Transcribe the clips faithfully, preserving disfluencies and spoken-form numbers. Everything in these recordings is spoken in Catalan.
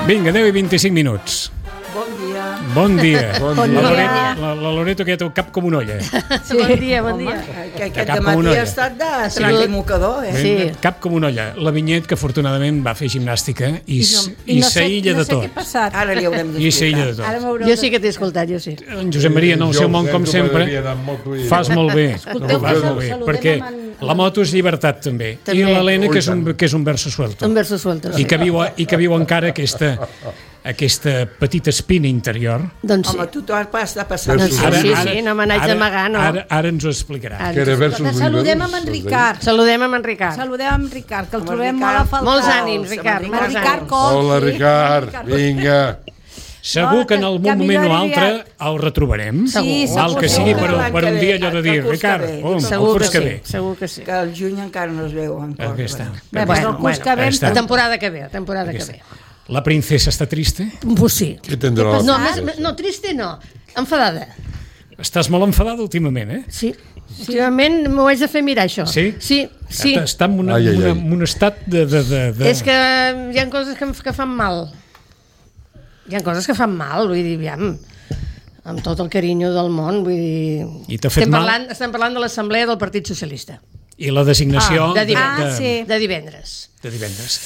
Vinga, deu i vint-i-cinc minuts. Bon dia. Bon dia. Bon La, dia. Loreto, la, la Loreto que ja té el cap com una olla. Sí. Bon dia, bon dia. Que aquest Cap com una dematí olla. ha estat de trac i mocador, eh? Sí. Cap com una olla. La Vinyet, que afortunadament va fer gimnàstica i, s- i, I no sé, s'aïlla no de sé què ha tot. passat. Ara li haurem I s'aïlla de d'explicar. Ara tot. m'haureu Jo sí que t'he escoltat, jo sí. En Josep Maria, en el seu món, com sempre, fas molt bé. Escolteu, Fas sal- molt bé, saludem perquè amb en- la moto és llibertat, també. I També. l'Helena, que és un, que és un verso suelto. Un verso suelto. I que viu, I que viu encara aquesta, aquesta petita espina interior. Doncs sí. Home, tu t'ho has pas- de passar. Doncs sí, Ara- sí, ara- sí, no me n'haig ara- d'amagar, no. Ara, ara ens ho explicarà. Ara. Que era versos Escolta, saludem amb en liberals, Ricard. Saludem amb en Ricard. Saludem amb Ricard, que el Amb trobem en molt a Ricard. faltar. Molts ànims, Ricard, Amb Amb molts Ricard ànims. Coll. Hola, sí. Ricard, vinga. Segur No, que en que- algun que moment o millor altre aviat. el retrobarem. Sí, Val segur, que sigui per, segur. per un dia allò de dir, El curs que Ricard, ve. oh, el Segur que curs que sí, ve. segur que sí. Que el juny encara no es veu encara. Aquí està. Bé, Bueno, doncs el curs que ve... Aquí està. La temporada que ve, la temporada que ve. La princesa està trista? Pues sí. Què tindrà la No, princesa? més, no, triste no. Enfadada. Estàs molt enfadada últimament, eh? Sí. Últimament m'ho haig de fer mirar, això. Sí? Sí, sí. Està en, una, Ai, ai, una, ai. en un estat de... de, de, de... És que hi ha coses que, em- que fan mal. Hi ha coses que fan mal, vull dir, aviam, amb tot el carinyo del món, vull dir... I t'ha fet estem mal? parlant, estem parlant de l'Assemblea del Partit Socialista, I la designació Ah, de de, divendres. Ah, sí. de divendres. de divendres.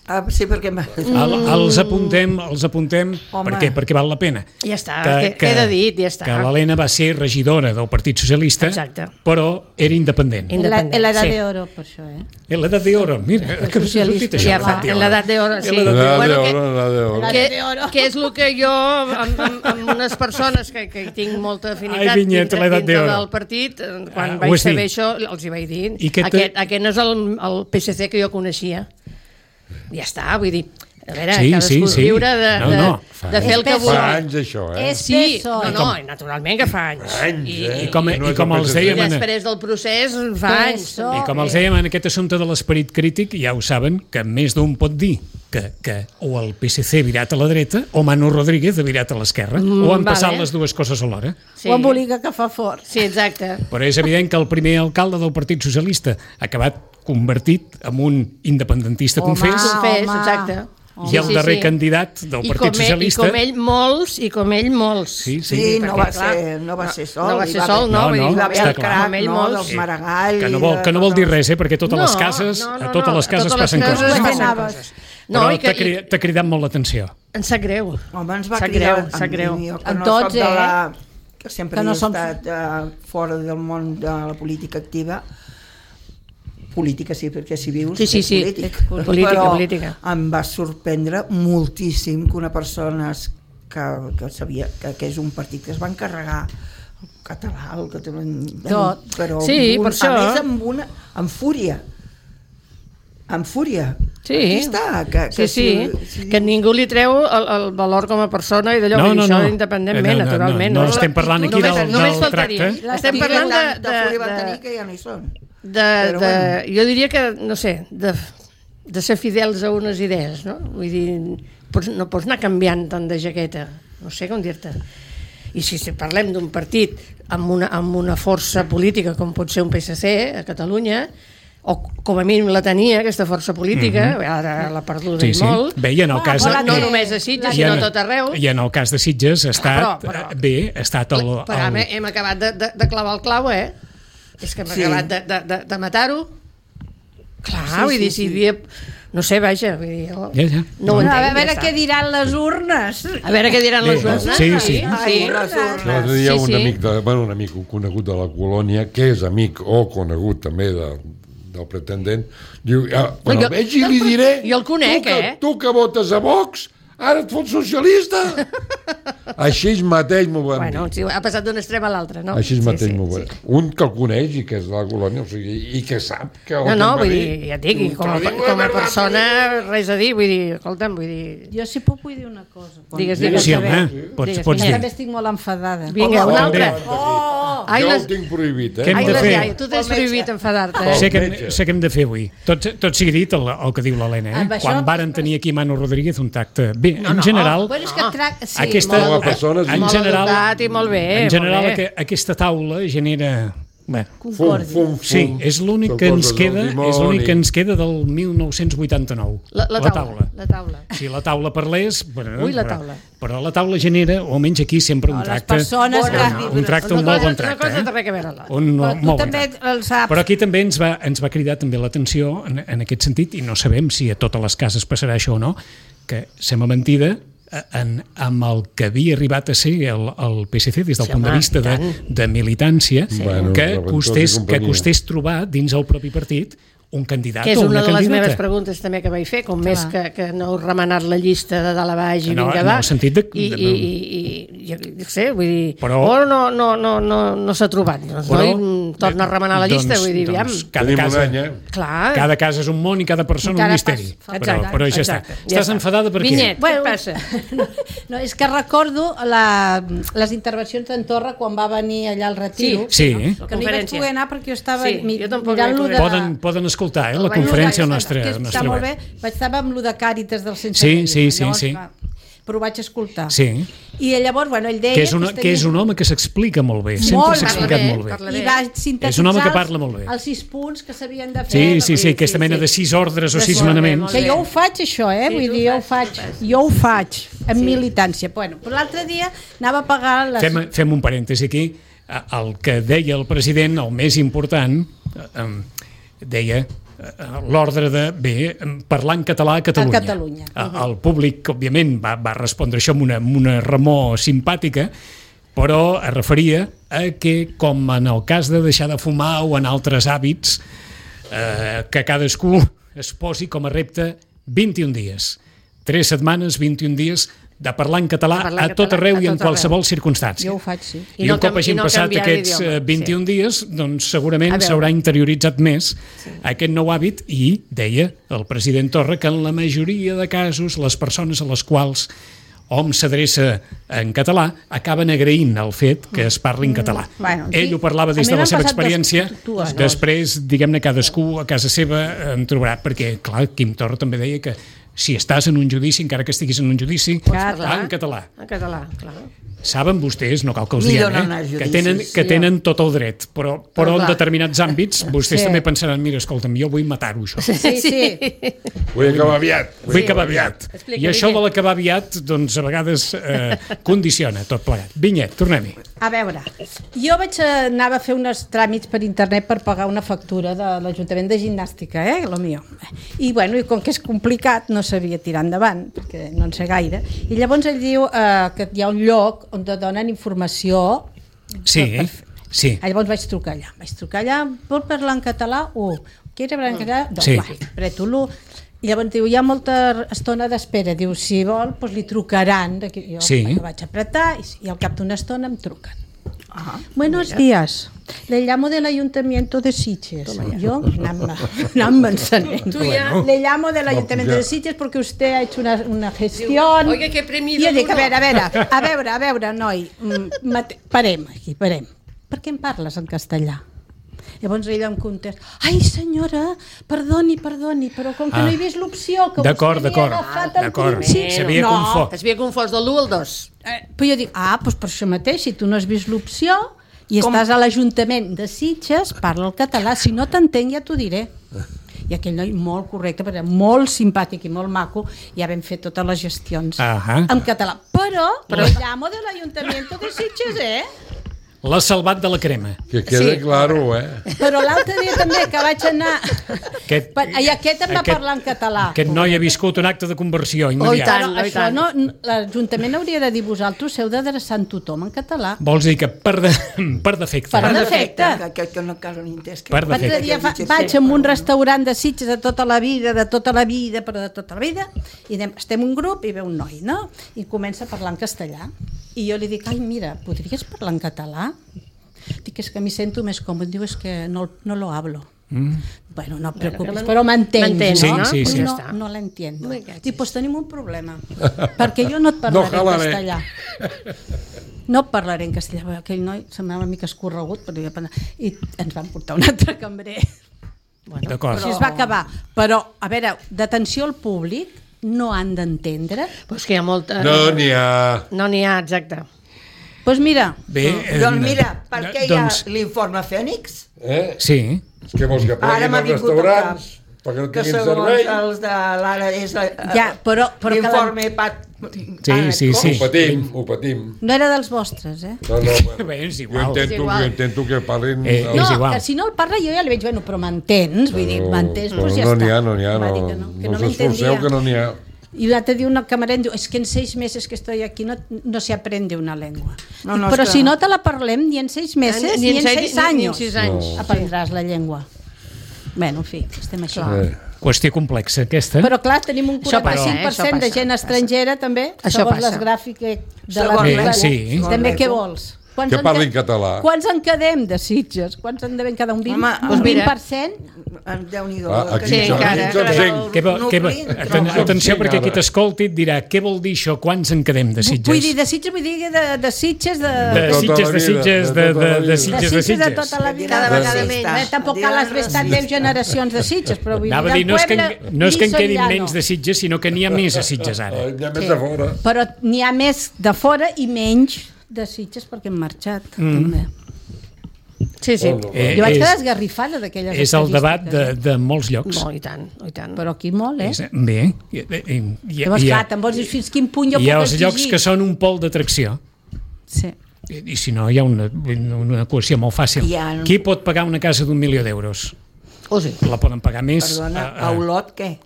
Ah, sí, perquè... m'ha- El, els apuntem, els apuntem Home. per què? Perquè val la pena. Ja està, que- queda dit, ja està. Que l'Helena va ser regidora del Partit Socialista, Exacte. però era independent. In- En la, en l'edat Sí. d'oro, per això, eh? En l'edat d'oro, mira, que has dit això, Ja fa, l'edat en l'edat d'oro, sí. En l'edat La Bueno, de que- oro, la de oro. que, que és el que jo, amb, amb, amb unes persones que, que hi tinc molta afinitat Ai, Vinyet, dintre, l'edat dintre d'oro. del partit, eh, quan Ah, ho vaig has saber dit. això, els hi vaig dir. I què te- Aquest, aquest no és el, el P S C que jo coneixia. Ja està, vull dir, a veure, Sí, cadascú sí, és sí. lliure de, No, de, no, de fer el que És vulgui. Fa anys, això, eh? És Sí, P S O E. no, no, naturalment que fa anys. Anys, I, eh? I com, No i és com el els P S C. i dèiem... en- després del procés fa P anys. S O E. I com els dèiem en aquest assumpte de l'esperit crític, ja ho saben, que més d'un pot dir que, que o el P S C virat a la dreta o Manu Rodríguez de virat a l'esquerra, Mm, o han passat vale. les dues coses alhora. Sí. O embolica que fa fort. Sí, exacte. Però és evident que el primer alcalde del Partit Socialista ha acabat convertit en un independentista Home. confés, Confés, home. exacte. i el darrer candidat del I Partit com ell, Socialista... I com ell molts, i com ell molts. Sí, sí. Sí, no perquè, va, clar, ser, no va ser sol. no va hi ser haver- sol, no, No, vull no, dir, Hi va va haver està el clar. crac, com ell no, molts. dels Sí. Maragall... Que no vol, que no vol dir res, eh? Perquè a totes les cases, no, no, a totes no, les cases a totes passen les cases coses. passen Anaves. coses. No, No, Però i que, t'ha cri- t'ha cridat molt l'atenció. i, em sap greu. Home, ens va Sap cridar... greu, sap greu. a mi, jo, que A no tots, soc de la, que sempre Que no he som- estat uh, fora del món de la política activa. Política sí, perquè si vius Sí, sí, ets sí. polític. Política, Però política. em va sorprendre moltíssim que una persona que, que sabia que, que és un partit que es va encarregar el català, el català... Tot. Però Sí, amb un, per això. a més amb una... amb fúria. Amb fúria. Sí. Aquí està. Que, Sí, que sí, si, que ningú li treu el, el valor com a persona i d'allò, No, vull dir, no, això no. independentment, Eh, no, no, naturalment. no, no estem parlant aquí Només- del- només del faltaria. tracte. Estem parlant de, de, de, fúria van de, tenir de, que ja no hi són. de, Però de, bueno. jo diria que, no sé, de, de ser fidels a unes idees, no? Vull dir, pots, no pots anar canviant tant de jaqueta, no sé com dir-te. I si, si parlem d'un partit amb una, amb una força política com pot ser un P S C a Catalunya, o com a mínim la tenia, aquesta força política, mm-hmm. ara l'ha perduda Sí, i sí. molt, Bé, i en el Ah, cas... però no que- només a Sitges, i sinó en- a tot arreu. I en el cas de Sitges ha estat... però- però- eh, bé, ha estat el... Però hem, el hem acabat de, de, de clavar el clau, eh? És que hem Sí. acabat de, de, de, de matar-ho. Clar, Sí, vull sí, dir, si sí. hi havia... No sé, vaja, vull dir... jo Ja, ja. No ho Bueno, entenc, a veure ja què està. diran les urnes. A veure què diran les Bé, urnes. sí, sí. Ai, les urnes. L'altre dia Sí, un sí. amic, de, bueno, un amic conegut de la colònia, que és amic o conegut també de, del pretendent, diu, ja, quan Jo- el vegi li diré... Jo el conec, tu que, eh? Tu que votes a Vox, ara et fots socialista? Així mateix m'ho van Bueno, dir. sí, ha passat d'un extrem a l'altre, no? Així mateix m'ho van sí. dir. Un que el coneix i que és de la colònia, o sigui, i que sap que... el No, que no, em va vull dir, dir, ja et dic, i com a, "Te lo digo com a de verdad, persona, res a dir, vull dir, escolta'm, vull dir... Jo sí puc vull dir una cosa. Digues, Sí, digues. home, pots, Digues, pots Jo dir. també estic molt enfadada. Vinga, una Home, altra. Oh! Ai, jo les... el tinc prohibit, eh? Què hem Ai, de les fer? iaies, tu tens prohibit enfadar-te, eh? Sé que, hem, metge. sé que hem de fer avui. Tot, tot sigui dit el, el que diu l'Helena. Eh? Amb això- Quan varen tenir aquí Manu Rodríguez un tacte... Bé, No, en no. general... Bueno, és que trac... sí, aquesta, molt en persones en molt general, educat i molt bé, en general molt bé. que, aquesta taula genera Bé. Concordi. Fum, fum, fum. Sí, és l'únic Són que ens coses queda, del dimoni. és l'únic que ens queda del mil nou-cents vuitanta-nou. La, la, taula, la taula. Si la taula parlés... Bueno, Ui, la però- taula. Però la taula genera, o almenys aquí, sempre un No, les tracte... persones un, que- un tracte, un Una molt cosa- bon tracte. Una cosa eh? té res a veure. La. Un Però tu molt bon també tracte. el saps. Però aquí també ens va, ens va cridar també l'atenció en, en aquest sentit, i no sabem si a totes les cases passarà això o no, que sembla mentida en, amb el que havia arribat a ser el, el P S C des del Sí, punt de home, vista de, tant. de militància, Bueno, que, Reventós i costés, que companyia. costés trobar dins el propi partit un candidat Que és o una una de les candidata. meves preguntes també que vaig fer, com més que, que no heu remenat la llista de dalt a baix i No, vinga en va. el sentit de- I, de- i, i, i, jo no sé, vull dir, Però- oh, no, no, no, no, no s'ha trobat. Doncs, Però- noi, torna a remenar la llista, doncs- vull dir, aviam. doncs cada Tenim casa, un any, eh? Clar. cada casa és un món i cada persona Encara un misteri. pas- Però, Exacte, però ja exacte. està. Ja Estàs està. enfadada per què? Vinyet, Bueno, què passa? No, és que recordo la, les intervencions d'en Torra quan va venir allà al retiro. Sí, La Que no hi vaig conferència. poder anar perquè jo estava Sí, mi- jo tampoc mirant-lo vaig de... poder. Poden, poden escoltar eh, la El vaig conferència al Que nostre, és- al està nostre molt web. bé. Vaig estar amb lo de Càritas del Sense Sí, Reina. sí, sí, Llavors, sí. clar, però ho vaig escoltar. Sí, I llavors, bueno, ell deia... que és, una, es que és un home que s'explica molt bé, sempre Molt s'ha bé. explicat Parla bé, molt bé. parla I va sintetitzar És un home que els- parla molt bé. els sis punts que s'havien de fer. Sí, sí, sí, Sí, aquesta sí, mena sí. de sis ordres o De sis molt bé, manaments. molt Que bé. jo ho faig, això, eh? Sí, Vull tu dir, jo ho ho fas, faig. tu ho fas. Jo ho faig, en Sí. militància. Bueno, però l'altre dia anava a pagar les... Fem, fem un parèntesi aquí. El que deia el president, el més important, eh, deia eh, l'ordre de, bé, parlar en català a Catalunya. A Catalunya. Eh, El públic, òbviament, va, va respondre això amb una, amb una remor simpàtica, però es referia a que, com en el cas de deixar de fumar o en altres hàbits, eh, que cadascú es posi com a repte vint-i-un dies. Tres setmanes, vint-i-un dies de parlar en català De parlar a en tot català, arreu a i en tot arreu. qualsevol circumstància. Jo ho faig, sí. I, I no un cop cam- i hagin no passat canviar aquests d'idioma, eh, vint-i-un sí. dies, doncs segurament A veure. s'haurà interioritzat més aquest nou hàbit i deia el president Torra que en la majoria de casos les persones a les quals hom s'adreça en català acaben agraint el fet que es parli en català. Bueno, Ell sí, ho parlava a des mi de la m'han seva passat experiència, dues- dues després, diguem-ne, cadascú a casa seva en trobarà, perquè, clar, Quim Torra també deia que si estàs en un judici, encara que estiguis en un judici, Clar, en català. En català, clar. Saben vostès, no cal que els Millor diguem, no anar a eh, que judicis, tenen, que sí. tenen tot el dret, però, però en clar. determinats àmbits vostès Sí. també pensaran, mira, escolta'm, jo vull matar-ho, això. Sí, sí. Vull acabar aviat. Vull acabar aviat. Explica, I això de Vinyet. l'acabar aviat, doncs, a vegades eh, condiciona tot plegat. Vinyet, tornem-hi. A veure, jo vaig a, anava a fer uns tràmits per internet per pagar una factura de l'Ajuntament de Gimnàstica, eh, lo mío. I bueno, i com que és complicat, no sabia tirar endavant, perquè no en sé gaire. I llavors ell diu eh, que hi ha un lloc on te donen informació. Sí, sí. Llavors vaig trucar allà. Vaig trucar allà, vol parlar en català? U. Quiere hablar en català? Dos. Sí. Va, preto l'u. I llavors diu, hi ha molta estona d'espera. Diu, si vol, doncs li trucaran. Jo Sí. bueno, vaig apretar i, i al cap d'una estona em truquen. Buenos días. Le llamo del Ayuntamiento de Sitges. Yo, anant-me encenent. Tu ja- Le llamo del Ayuntamiento ya. de Sitges porque usted ha hecho una, una gestión. Oiga, que premi I jo de dic, a l'honor. veure, a veure, a veure, a veure, noi, mm, mate- parem aquí, parem. Per què em parles en castellà? Llavors ella em contesta, ai senyora, perdoni, perdoni, però com que Ah. no he vist l'opció, que D'acord, vostè m'hi ha d'acord. agafat al D'acord. principi. S'havia no, confós. Es havia confós de l'u al dos. Eh, però jo dic, ah, doncs per això mateix, si tu no has vist l'opció i Com? estàs a l'Ajuntament de Sitges, parla el català, si no t'entenc ja t'ho diré. I aquell noi molt correcte, perquè era molt simpàtic i molt maco, ja vam fer totes les gestions Ahà. en català. Però, però... el llamo de l'Ajuntamiento de Sitges, eh? L'ha salvat de la crema. Que quede Sí. claro, eh? Però l'altre dia també, que vaig anar... Aquest, Per- I aquest em va aquest- parlar en català. Aquest noi ha viscut un acte de conversió Oh, i immediat. tant. Però i això tant. no, l'Ajuntament hauria de dir vosaltres, heu d'adreçar en tothom en català. Vols dir que per, de, per defecte. Per eh? defecte. Que, que, que no cal un entès. Que Per L'altre defecte. dia fa, vaig a un restaurant de Sitges de tota la vida, de tota la vida, però de tota la vida, i anem, estem un grup i ve un noi, no? I comença a parlar en castellà. I jo li dic, ai, mira, podries parlar en català? Dic, és que m'hi sento més còmode. Diu, és que no, no lo hablo. Mm. Bueno, no et preocupis, Bueno, però m'entens, m'entens, Sí, no? sí, sí. No, Ja està. no l'entiendo. Me cachis. Dic, pues tenim un problema, perquè jo no et parlaré No en jalaré. castellà. No et parlaré en castellà, perquè aquell noi semblava una mica escorregut, però jo, i ens van portar un altre cambrer. Bueno, D'acord. Així es va acabar. Però, a veure, d'atenció al públic no han d'entendre. però és que hi ha molta... No n'hi ha... No n'hi ha, exacte. Doncs mira, Bé, eh, Doncs mira, per què hi ha doncs, l'informe Fènix? Eh? sí, Què vols que Ara pleguin m'ha els vingut al restaurants? Perquè no Que tinguin segons servei? els de l'ara és la- Ja, però- però que la- l'informe Pat... Sí, sí, com? sí. Ho patim, ho patim. no era dels vostres, eh? No, no, Bé, és jo igual. intento, És igual. jo intento que parlin... Eh, el- No, és igual. que si no el parla jo ja li veig, bueno, però m'entens, vull dir, Però- m'entens, però doncs ja no està. n'hi ha, no n'hi ha, Va no, dir que no, que no no us esforceu m'entendía. que no n'hi ha. Y l'altre dia una camarera em diu, es que en seis meses que estoy aquí no, no se aprende una lengua. No, no, Però és que- si no te la parlem ni en seis meses ni, en seis ni en años sis anys. No. aprendràs la llengua. Bueno, en fi, estem així. Eh, Qüestió complexa, aquesta. Però clar, tenim un Això passa, quaranta-cinc per eh? Això cent de passa, gent passa. estrangera també, Això segons passa. les gràfiques de Segons la Bé, Bíblia. sí. També què vols? Quants Que en parlin quedem- català. Quants en quedem de Sitges? Quants en devem quedar? Un vint, Home, un doncs mira. vint per cent? Déu-n'hi-do. Ah, aquí Sí, som- encara. aquí som cinc. Què vol, què vol, aten, atenció, perquè qui t'escolti et dirà què vol dir això, quants en quedem de Sitges? Vull dir, de Sitges, vull dir de, de Sitges, de... de tota Sitges, la de vida, Sitges, de de, tota la de, vida. de de Sitges, de Sitges de Sitges. tota la vida. Cada vegada Sí, menys. eh, tampoc cal les estat deu generacions de Sitges, però vull dir, Anava a dir, del no és que, poble en, no és que en ni quedin Soriano. menys de Sitges, sinó que n'hi ha més a Sitges ara. Eh, Hi ha més de fora. Però n'hi ha més de fora i menys de Sitges perquè hem marxat, mm. també. Sí, sí. Bueno, Eh, Jo vaig és- quedar esgarrifada d'aquelles És el debat de, estadístiques, de molts llocs. Molt, i tant, i tant. eh? Però aquí molt, eh? És, bé, i, i, i, Llavors, hi clar, ha, te'n vols dir fins quin punt jo hi ha puc els exigir. llocs que són un pol d'atracció. Sí. I, I si no, hi ha una, una equació molt fàcil. Hi ha- Qui pot pagar una casa d'un milió d'euros? Oh, sí. La poden pagar més. Perdona, a- a a- Olot què?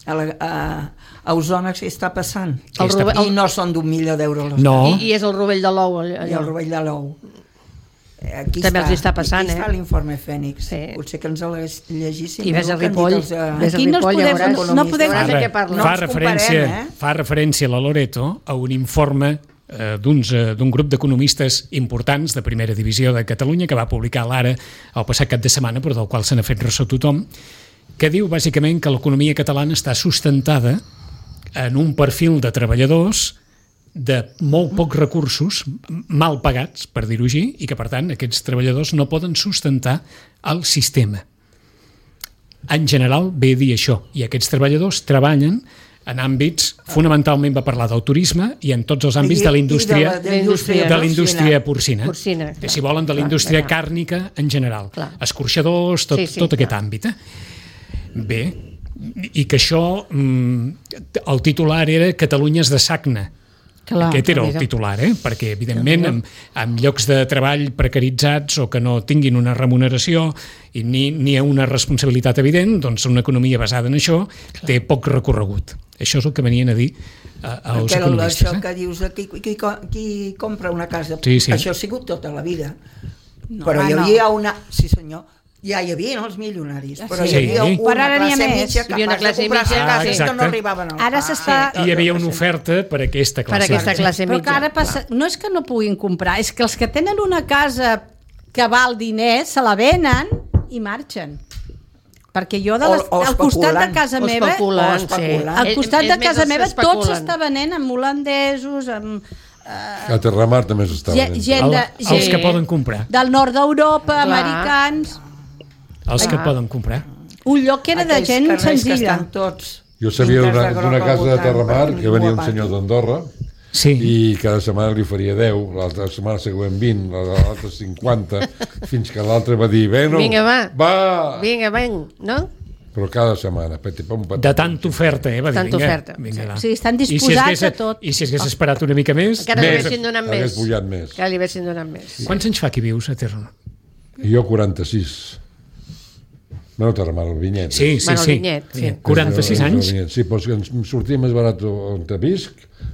A, la, a, a Osona què està passant? Què està Rovell- I no són d'un milió d'euros les No. I, I és el rovell de l'ou allò. I el rovell de l'ou. Aquí També els està passant, aquí eh? està l'informe Fènix. Sí. Potser que ens el llegíssim. I ves a el que han dit Ripoll, els, eh, ves a Aquí no, es Ripoll, podem, veuràs. no podem... Veuràs de Fa, què parla. No fa, ens referència, comparem, eh? fa referència la Loreto a un informe eh, d'uns, eh, d'un grup d'economistes importants de primera divisió de Catalunya que va publicar l'Ara el passat cap de setmana, però del qual se n'ha fet ressò tothom, que diu bàsicament que l'economia catalana està sustentada en un perfil de treballadors de molt pocs recursos, mal pagats, per dir-ho així, i que, per tant, aquests treballadors no poden sustentar el sistema. En general, ve a dir això, i aquests treballadors treballen en àmbits, fonamentalment va parlar del turisme i en tots els àmbits I- de la i indústria, de la- de la indústria de la indústria porcina. Porcina, De, si volen, de la indústria clar, clar. càrnica en general. Clar. Escorxadors, tot, Sí, sí, tot aquest clar. àmbit. Eh? Bé, i que això, mm, el titular era Catalunya és de Sagna. Clar, Aquest era el mira. titular, eh? Perquè, evidentment, amb, amb llocs de treball precaritzats o que no tinguin una remuneració i ni, ni una responsabilitat evident, doncs una economia basada en això té poc recorregut. Això és el que venien a dir eh, els Perquè economistes. això Eh? que dius de qui, qui, qui compra una casa, Sí, sí. això ha sigut tota la vida. No, però hi no. havia una... Sí, senyor. Ja hi havia els milionaris, però Sí. hi havia una Però ara n'hi ha classe més. mitja Hi havia una capaç de classe comprar-se mitja, cases sí. que no Exacte. arribaven al Ara pa. s'està- Hi havia una oferta per aquesta Per classe. aquesta classe Però mitja. que ara passa, no és que no puguin comprar, és que els que tenen una casa que val diners se la venen i marxen. Perquè jo de les, O- o al costat de especulant. casa O meva, especulant, o sí. especulant. al És- costat és de més casa els meva tot especulen. s'està venent amb holandesos, amb A Terramar també s'estava gent, venent. gent de, El, els gent que poden comprar. del nord d'Europa, Clar. americans, Els que Ah. poden comprar. un lloc que era de Aquells gent carrers que senzilla. estan tots Jo sabia pintats d'una de groc d'una al casa de voltant, Terramar per que venia un guapati. senyor d'Andorra Sí. i cada setmana li faria deu, l'altra setmana següent vint, l'altra cinquanta, fins que l'altre va dir, bueno, Vinga, va. va, Vinga, ven, no? però cada setmana, peti, pom, peti. De tanta oferta, eh? Va dir, Tanta vinga, oferta, vinga, sí. va. O sigui, estan I si disposats hagués- a tot. I si hagués esperat una mica més... Encara li Més. haguessin donat Hagués més. pujat més. Encara li haguessin donat més. Quants anys fa que vius a Terra? I jo quaranta-sis. Bueno, Terramar, el Vinyet. Sí, sí, Bueno, el sí. Vinyet, sí. quaranta-sis El- el anys? Vinyet. Sí, però és que ens sortia més barat on te visc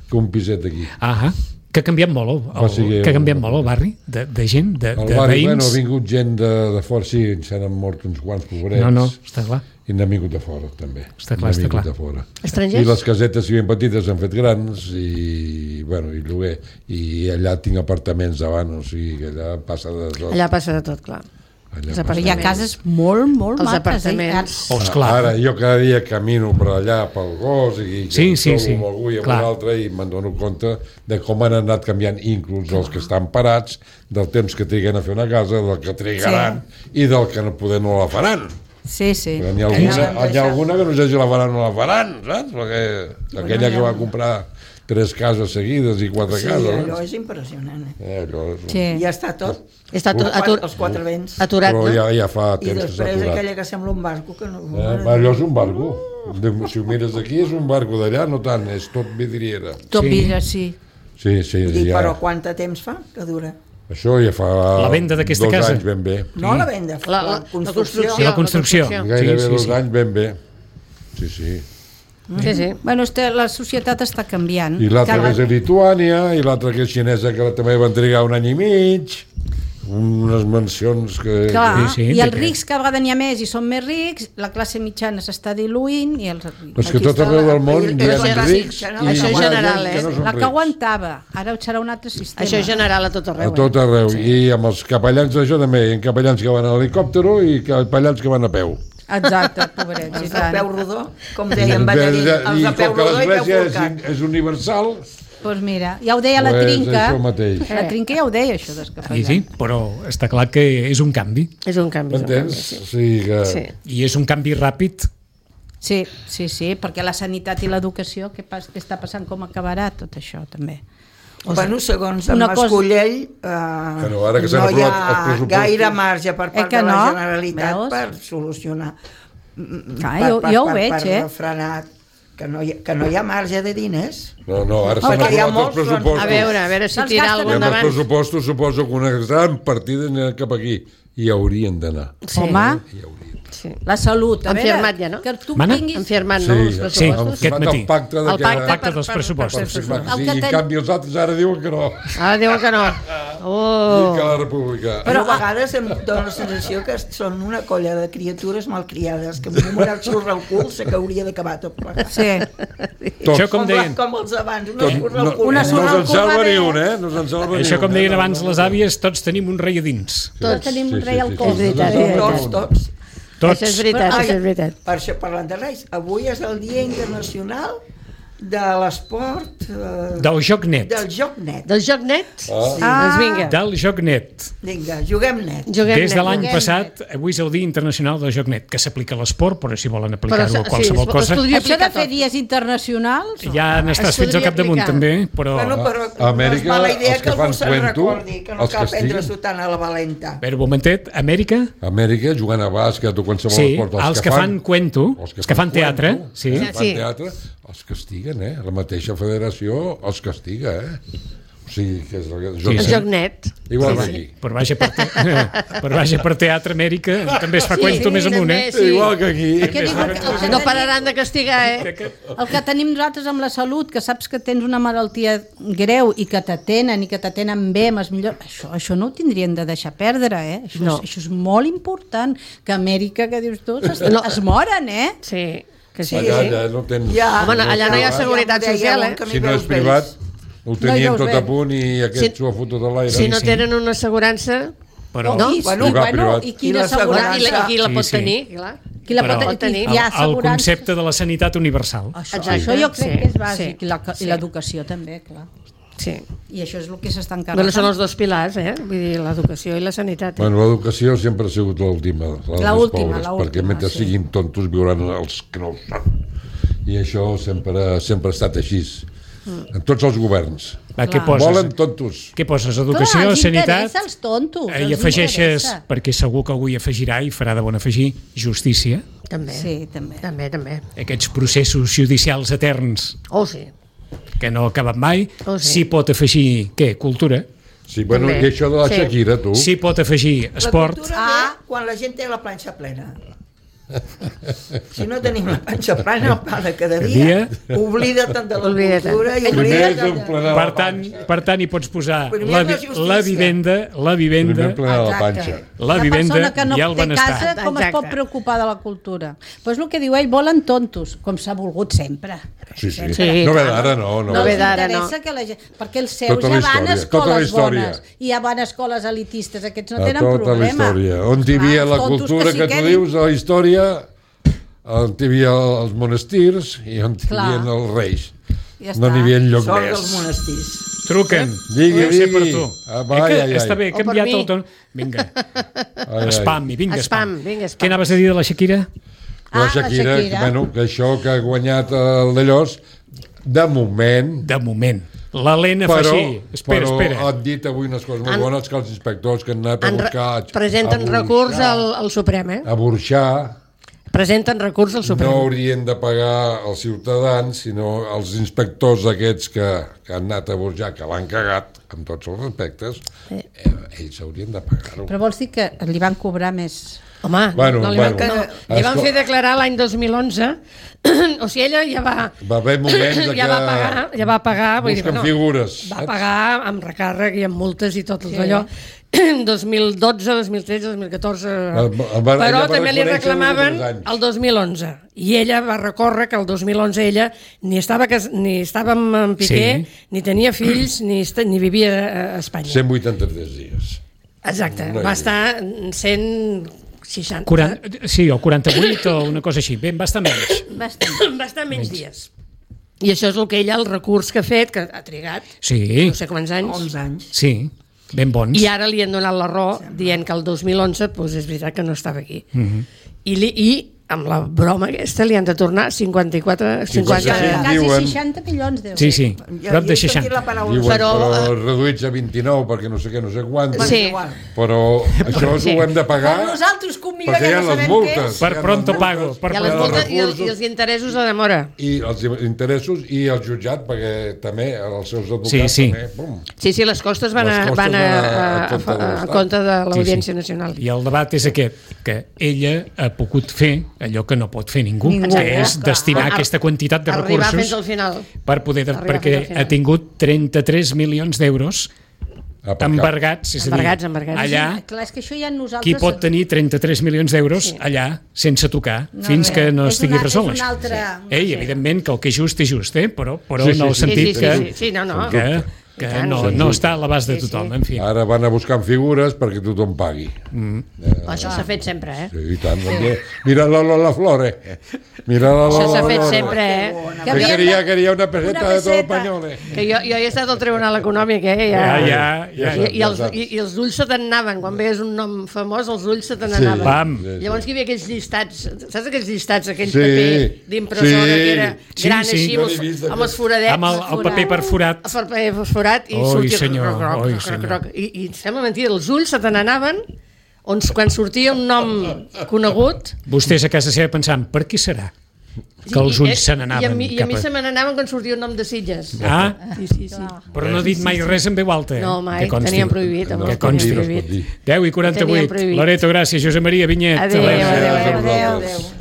que un piset aquí. Ah, que ha canviat molt, el, Va, sí, el, que ha canviat molt el barri, de, de gent, de, Al de barri, bueno, veïns. ha vingut gent de, de fora, sí, se n'han mort uns quants pobrets. No, no, està clar. I n'han vingut de fora, també. Està clar, N'han està vingut clar. de fora. Estrangers? I les casetes, si ben petites, s'han fet grans i, bueno, i lloguer. I allà tinc apartaments davant, o sigui, que allà passa de tot. Allà passa de tot, clar. Allà els passa Però hi ha de tot. cases molt, molt Els maques. apartaments. Eh? Oh, esclar. Ara, jo cada dia camino per allà, pel gos, i que Sí, em sí, trobo sí, amb algú i amb clar. un altre, i me'n dono compte de com han anat canviant inclús els que estan parats, del temps que triguen a fer una casa, del que trigaran, i del que no poder no la faran. Sí, sí. Perquè n'hi ha alguna, n'hi ha alguna que no sé si la faran o no la faran, saps? Perquè aquella que va comprar tres cases seguides i quatre Sí, cases. allò Eh? és impressionant. Eh? Eh, allò és... Sí. Ja està tot. Està atur, Els atur, quatre- els quatre vents. aturat, Però no? ja, ja fa I temps que s'ha després aturat. aquella que sembla un barco que no... Eh, allò és un barco. De, si ho mires d'aquí és un barco, d'allà no tant, és tot vidriera. Tot Sí. vidre, sí. Sí, sí, I, ja. Però quant de temps fa que dura? Això ja fa La venda d'aquesta dos casa. anys ben bé. No la venda, La- la- la, la construcció. construcció. La construcció. Sí, Gairebé sí, dos sí. anys ben bé. Sí, sí. Sí, sí. Bueno, este, la societat està canviant. I l'altra Cada- que és a Lituània, i l'altra que és xinesa, que també van trigar un any i mig. Unes mansions que... Clar, Sí, sí, i els perquè- rics cada vegada n'hi ha més i són més rics, la classe mitjana s'està diluint i els... És que Aquí tot està arreu la- del món i- hi ha i la rics classe i Això hi és ha general, gent que eh? no són La que rics. aguantava, ara serà un altre sistema. Això és general a tot A arreu. tot eh? arreu. I amb els capellans d'això també. Hi ha capellans que van a l'helicòptero i capellans que van a peu. Exacte, pobrets, i Els de peu tant. rodó, com deien Ballarí, els I de peu com que rodó i peu l'església és, forcat. és universal, Doncs pues mira, ja ho deia la Pues Trinca. això mateix. La Trinca ja ho deia, això dels Sí, capellans. sí, però està clar que és un canvi. És un canvi. és un m'entens? canvi, O sigui que... Sí. I és un canvi ràpid. Sí, sí, sí, perquè la sanitat i l'educació, què, pas, què està passant, com acabarà tot això, també. Bueno, segons en Una cosa- Mascolell, eh, Bueno, ara que s'han no hi aprovat ha els pressupostos. gaire marge per Eh part que de la no? Generalitat Veus? per solucionar, Clar, jo, jo ho veig, per eh? refrenar, que no, hi ha, que no hi ha marge de diners. No, no, ara s'han Perquè hi ha aprovat els molts, doncs, pressupostos. A veure, a veure si Se'ls tira gasten I alguna amb els endavant. pressupostos suposo que una gran partida anirà cap aquí. I haurien d'anar. Sí. Home, Hi haurien. Sí. la salut, a Han veure, firmat ja, no? que tu Mana? tinguis... Han firmat, Sí, no, els sí, pressupostos? aquest matí. El pacte, de El que... pacte, pacte per- dels per- pressupostos. per- Sí, per- clar que El sí. que I ten- en canvi els altres ara diuen que no. Ara diuen que no. Oh. I que la república... Però a vegades em dóna la sensació que són una colla de criatures malcriades, que amb un moral xurra al cul sé que hauria d'acabar tot plegat. Sí. Tot. Això com Com, la, deien, com els abans, una Tot, xurra no, al cul. Una no sorra al se'n cul salva va ni bé. un, eh? No se'n salva ni això un. com deien No, no, abans no, les no. àvies, tots tenim un rei a dins. Tots tenim un rei al sí, cos. sí, És veritat, sí, sí, Tots, sí. tots. Tots. Això és veritat, Ai, això és veritat. Per això, parlant de Reis, avui és el Dia Internacional de l'Esport... Eh, Del joc net. del joc net. Del joc net? Ah. Doncs vinga. Del joc net. Vinga, juguem net. Juguem Des de net. l'any Juguem passat, avui és el Dia Internacional del joc net, que s'aplica a l'esport, però si volen aplicar-ho Però, a qualsevol sí, es- cosa, es podria- Això de aplicar fer tot. dies internacionals... ja n'estàs Es fins al podria capdamunt, aplicar. també, però... Bueno, però A Amèrica, no és mala idea els que que algú fan se'n cuento, recordi, que no els cal castiguen. prendre-s'ho tant a la valenta. A veure, un momentet, Amèrica, Amèrica, jugant a bàsquet o qualsevol sí, esport. els que fan cuento, els que fan teatre, cuento, sí. els que fan Sí. teatre, els castiguen, eh? La mateixa federació els castiga, eh? O sigui, que és el Sí, joc El sí. joc net. Igual que aquí. Per vaja per, te... per vaja per Teatre Amèrica també es fa Sí, cuento sí, més amunt, també, eh? sí. Igual que aquí. Què diu, el, que No tenim, pararan de castigar, eh? el que tenim nosaltres amb la salut, que saps que tens una malaltia greu i que t'atenen i que t'atenen bé, amb els millors... Això, això no ho tindrien de deixar perdre, eh? Això, No. és, això és molt important, que a Amèrica, que dius tu, es, No. es moren, eh? Sí, que sí. Allà, sí. allà no tens... Ja, Home, allà no hi ha ja, seguretat ja m'ho social, deia eh? un que Si m'hi no és veus privat, vells. ho tenien No hi veus tot a bé. punt i aquest Si- s'ho ha fotut a l'aire. Si no sí. tenen una assegurança... Però, No? I, Bueno, i, privat, bueno, privat. i I quina la assegurança? I la, qui la Sí, pot sí. tenir, clar. Qui la Però pot pot tenir. Hi ha el, el assegurança. concepte de la sanitat universal. Això, Exacte. això jo crec Sí, que és bàsic, sí, i la- sí. i l'educació també, clar. Sí. I això és el que s'està encarregant. Bueno, són els dos pilars, eh? Vull dir, l'educació i la sanitat. Eh? Bueno, l'educació sempre ha sigut l'última, la dels L'última, pobres, l'última, perquè mentre sí. siguin tontos viuran els que no ho són. I això sempre, sempre ha estat així. En tots els governs. Va, què Clar. poses? Volen tontos. Què poses? Clar, Educació, els sanitat... interessa els tontos. Eh, I els afegeixes, interessa. perquè segur que algú hi afegirà i farà de bon afegir, justícia. També. Sí, també. També, també. Aquests processos judicials eterns Oh, sí. que no acaben mai. Oh, sí. S'hi pot afegir, què? Cultura. Sí, bueno, També. i això de la Sí. Shakira, tu? S'hi pot afegir La esport. cultura Ah. ve quan la gent té la planxa plena. Si no tenim la panxa plana, el pa de cada dia, dia. oblida't de la Oblida't. cultura i Primer oblida't és de... emplenar Per la tant, panxa. per tant, hi pots posar Primer la, la vi- justícia. la vivenda, la vivenda, Primer emplenar la Exacte. panxa. la vivenda persona que no i el té benestar. casa, com es Exacte. pot preocupar de la cultura? Doncs pues el que diu ell, volen tontos, com s'ha volgut sempre. Sí, sí. Sí, no ve clar. d'ara, no. no. No ve els d'ara, interessa no. que la gent... Perquè els seus Tota ja la van a història, tota la escoles història. bones i ja van a escoles elitistes, aquests no A tenen tota la problema. història. On hi Clar, havia els la tontos cultura s'hi que, tu quedin. dius, a la història, on hi havia els monestirs i on hi Clar. havia els reis. Ja No està. n'hi havia lloc Sort més. dels monestirs. Truquen. Digui, Deu ser per digui. tu. Ah, Eh vai, que ai, ai. està bé, he O per canviat mi. el ton. Vinga, Ai, ai. spam, i vinga, Spam, spam. vinga, spam. Què anaves a dir de la Shakira? La Ah, la Shakira, Shakira. Bueno, que això que ha guanyat el d'allòs De moment... De moment. L'Helena fa Però, així. Espera, però espera. han dit avui unes coses molt Han- bones que els inspectors que han anat a En re- buscar... presenten a recurs burxar, al, al Suprem, eh? A burxar, Presenten recurs al Suprem. no haurien de pagar els ciutadans, sinó els inspectors aquests que, que han anat a burxar, que l'han cagat, amb tots els respectes, eh, ells haurien de pagar-ho. Però vols dir que li van cobrar més... Home, Bueno, no li van, bueno. no, li van Escol- fer declarar l'any dos mil onze, o sigui, ella ja va... Va haver moments de ja que va pagar, ja va pagar, vull dir, busquen bueno, figures. va saps? pagar amb recàrrec i amb multes i tot sí. allò. dos mil dotze, dos mil tretze, dos mil catorze... El- el va- ella Però va també li reconèixer reclamaven tres anys. el dos mil onze. I ella va recórrer que el dos mil onze ella ni estava, cas- ni estava amb en Piqué, Sí. ni tenia fills, ni, est- ni vivia a Espanya. cent vuitanta-tres dies. Exacte, No hi va havia. estar cent seixanta... quaranta, sí, o quaranta-vuit o una cosa així. Ben, va estar menys. Bastant. va estar menys dies. I això és el que ella, el recurs que ha fet, que ha trigat, Sí, no sé quants anys, onze anys. sí, ben bons. i ara li han donat la raó dient que el dos mil onze doncs és veritat que no estava aquí. I, li, I amb la broma aquesta li han de tornar cinquanta-quatre... cinquanta, Sí, Quasi diuen- seixanta milions d'euros. Sí, sí, Ja, prop de ja he sentit seixanta. la paraula. Diuen, però, Però, però reduïts a vint-i-nou perquè no sé què, no sé quants. Sí. Igual. Però això Sí. ho hem de pagar Per nosaltres, que un millor perquè hi ja ha no les sabem què multes. és. Per Hi ha pronto les pago, multes, per I, les hi ha multes, els i, els, I recursos, els interessos de demora. i els interessos i el jutjat, perquè també els seus advocats Sí, sí. també, bum. Sí, sí, les costes van, Les a, costes van a, van a- a, a compte de a, a l'Estat. compte de l'Audiència Sí, sí. Nacional. I el debat és aquest, que ella ha pogut fer allò que no pot fer ningú, Ningú. que és Exacte. destinar Ar- aquesta quantitat de Arribar fins recursos al final. per poder, Arribar perquè fins al final. ha tingut trenta-tres milions d'euros Aparcat. embargats, és a dir, Embargats, embargats. allà Sí, clar, és que això ja nosaltres... qui pot tenir trenta-tres milions d'euros Sí. allà sense tocar No, fins res. que no És estigui una- resolt és això. una altra- Sí. Ei, evidentment que el que és just és just, eh? però, però Sí, en sí, el sí. sentit Sí, sí, que, sí, sí, sí, no, no. que, que I tant. no, Sí, no sí. està a l'abast de Sí, sí. tothom, en fi. Ara van a buscar figures perquè tothom pagui. Això s'ha fet sempre, eh? Sí, i tant. Mira, mira la Lola Flore. Mira la Això Lola s'ha fet Flore. sempre, eh? Que Que havien quería, de- quería una peseta una de todo peseta. español. eh. Que jo, jo he estat al Tribunal Econòmic, eh? Ja, Ja, ja, ja. I, i, els, i, I els ulls se t'anaven. Quan veies un nom famós, els ulls se t'anaven. Sí. Pam. Sí, sí. Llavors que hi havia aquells llistats, saps aquells llistats, aquell Sí. paper d'impressora Sí. que era Sí, gran sí. així, Jo amb l'he els, vist, amb els foradets. Amb el, el paper perforat. El paper fosforat i Oi, sortia senyor, croc, croc, oi, croc, senyor. croc. I, i sembla mentida, els ulls se te n'anaven on, quan sortia un nom conegut. Vostès a casa seva pensant, per qui serà? Que els I- ulls se I a n'anaven mi, i a cap mi a... se me n'anaven quan sortia un nom de Sitges. Ah, Sí, sí, sí. però no ha dit mai res en veu alta. eh? No, mai, Que consti. tenien prohibit, home, Que No es pot dir, consti. no es pot dir. deu i Tenien quaranta-vuit. prohibit. Loreto, gràcies. Josep Maria Vinyet. Adéu, adéu, adéu. Gràcies a vosaltres. adéu.